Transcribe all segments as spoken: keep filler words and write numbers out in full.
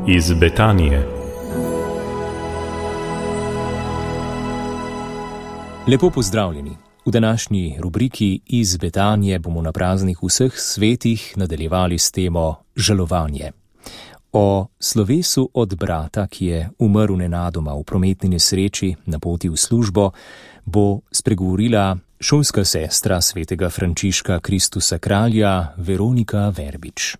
iz Betanije. Lepo pozdravljeni. V današnji rubriki Iz Betanije bomo na praznih vseh svetih nadaljevali s temo žalovanje. O slovesu od brata, ki je umrl nenadoma v prometni nesreči na poti v službo, bo spregovorila šolska sestra svetega Frančiška Kristusa Kralja Veronika Verbič.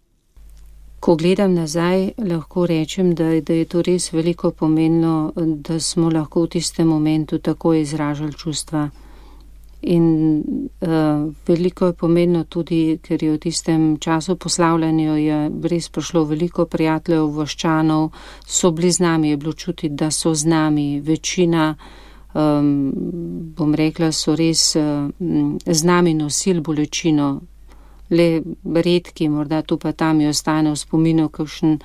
Ko gledam nazaj, lahko rečem, da, da je to res veliko pomenilo, da smo lahko v tistem momentu tako izražali čustva. In uh, veliko je pomenilo tudi, ker je v tistem času poslavljanja je res prišlo veliko prijateljev, voščanov, so bili z nami, je bilo čutiti, da so z nami. Večina, um, bom rekla, so res uh, z nami nosili bolečino. Le redki, morda tu pa tam je ostane v spominu kakšen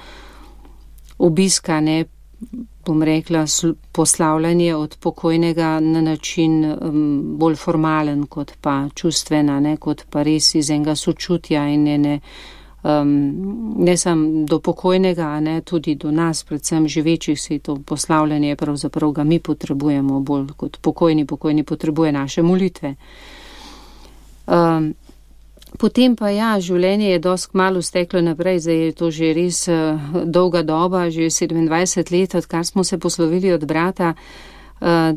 obiska, ne, bom rekla, poslavljanje od pokojnega na način um, bolj formalen kot pa čustvena, ne, kot pa res iz enega sočutja in ne, ne, um, ne sam do pokojnega, ne, tudi do nas, predvsem živečih, se to poslavljanje pravzaprav ga mi potrebujemo bolj kot pokojni, pokojni potrebuje naše molitve. Um, Potem pa ja, življenje je dosti kmalu steklo naprej, zdaj je to že res uh, dolga doba, že sedemindvajset let, odkar smo se poslovili od brata, uh,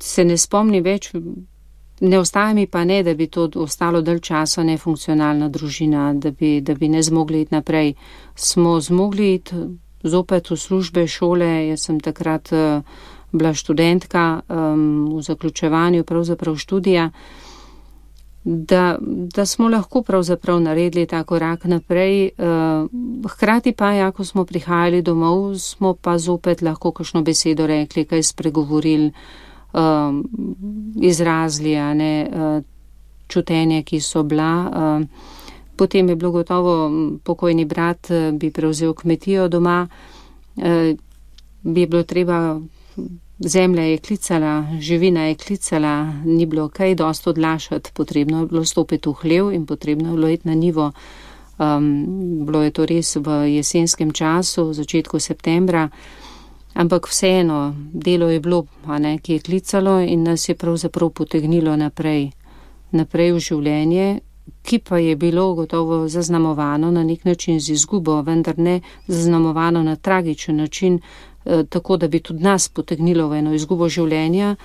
se ne spomni več, ne ostaja mi pa ne, da bi to ostalo dalj časa nefunkcionalna družina, da bi, da bi ne zmogli iti naprej. Smo zmogli iti zopet v službe, šole, jaz sem takrat uh, bila študentka um, v zaključevanju pravzaprav študija, Da, da smo lahko pravzaprav naredili ta korak naprej. Uh, hkrati pa, ja, ko smo prihajali domov, smo pa zopet lahko kakšno besedo rekli, kaj spregovorili, uh, izrazili, a ne, uh, čutenje, ki so bila. Uh, potem je bilo gotovo, pokojni brat uh, bi prevzel kmetijo doma, uh, bi bilo treba... Zemlja je klicala, živina je klicala, ni bilo kaj dosti odlašati, potrebno je bilo stopiti v hlev in potrebno je bilo iti na njivo. Um, bilo je to res v jesenskem času, v začetku septembra, ampak vseeno, delo je bilo, a ne, ki je klicalo in nas je pravzaprav potegnilo naprej, naprej v življenje, ki pa je bilo gotovo zaznamovano na nek način z izgubo, vendar ne zaznamovano na tragičen način, tako da bi tudi nas potegnilo v eno izgubo življenja.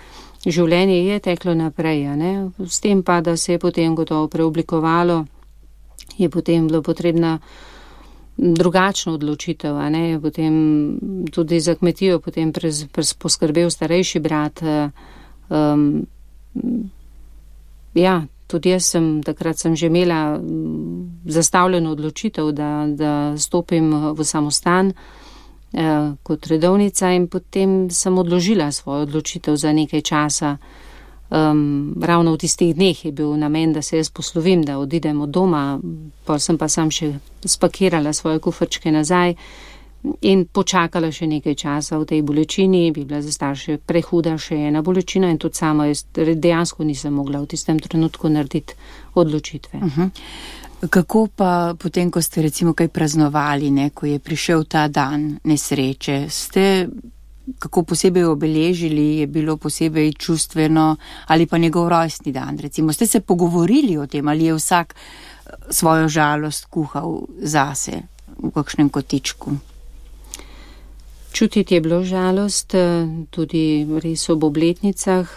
Življenje je teklo naprej, a ne? S tem pa, da se je potem gotovo preoblikovalo, je potem bilo potrebna drugačna odločitev, a ne? Potem tudi za kmetijo potem prez, prez poskrbel starejši brat. Um, ja, tudi jaz sem, takrat sem že imela zastavljeno odločitev, da, da stopim v samostan kot redovnica in potem sem odložila svojo odločitev za nekaj časa. Um, ravno v tistih dneh je bil namen, da se jaz poslovim, da odidem od doma, pa sem pa sam še spakirala svoje kufrčke nazaj in počakala še nekaj časa v tej bolečini, bi bila za starše prehuda še ena bolečina in tudi sama jaz dejansko nisem mogla v tistem trenutku narediti odločitve. Uh-huh. Kako pa potem, ko ste recimo kaj praznovali, ne, ko je prišel ta dan nesreče, ste kako posebej obeležili, je bilo posebej čustveno ali pa njegov rojstni dan, recimo, ste se pogovorili o tem ali je vsak svojo žalost kuhal zase v kakšnem kotičku? Čutiti je bilo žalost, tudi res ob obletnicah.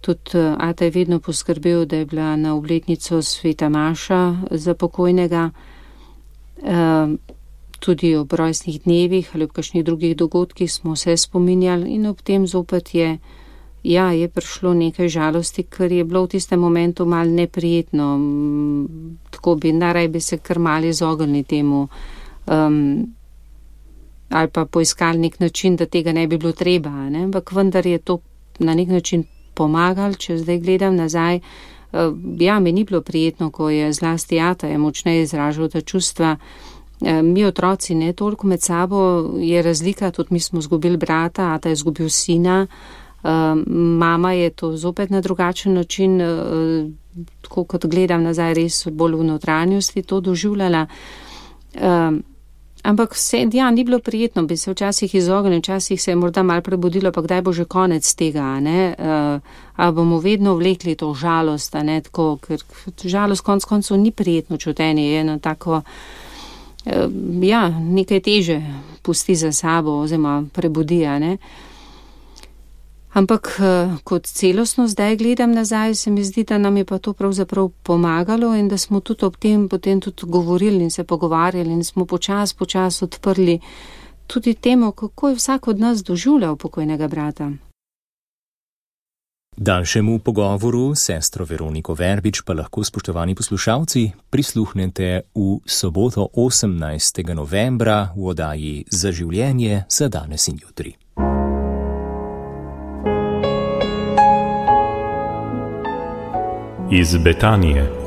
Tudi ata je vedno poskrbel, da je bila na obletnico sveta maša za pokojnega, tudi ob rojstnih dnevih ali ob kakšnih drugih dogodkih smo se spominjali in ob tem zopet je, ja, je prišlo nekaj žalosti, ker je bilo v tistem momentu malo neprijetno, tako bi naraj bi se kar malo izognili temu, um, ali pa poiskali nek način, da tega ne bi bilo treba, ne? Ampak vendar je to na nek način pomagali, če zdaj gledam nazaj. Ja, mi ni bilo prijetno, ko je zlasti ata je močneje izražal ta čustva. Mi otroci ne toliko med sabo, je razlika, tudi mi smo zgubili brata, ata je zgubil sina, mama je to zopet na drugačen način, tako kot gledam nazaj, res bolj v notranjosti to doživljala. Ampak vse, ja, ni bilo prijetno, bi se včasih izognili, včasih se je morda malo prebudilo, pa kdaj bo že konec tega, ne, uh, a bomo vedno vlekli to žalost, a ne, tako, ker žalost konc koncev ni prijetno čutenje, je eno tako, uh, ja, nekaj teže pusti za sabo, oziroma prebudi, a ne. Ampak kot celostno zdaj gledam nazaj, se mi zdi, da nam je pa to pravzaprav pomagalo in da smo tudi ob tem potem tudi govorili in se pogovarjali in smo počas, počas odprli tudi temo, kako je vsak od nas doživljal pokojnega brata. Daljšemu pogovoru s sestro Veroniko Verbič pa lahko, spoštovani poslušalci, prisluhnete v soboto osemnajstega novembra v oddaji Za življenje za danes in jutri. Iz Betanije.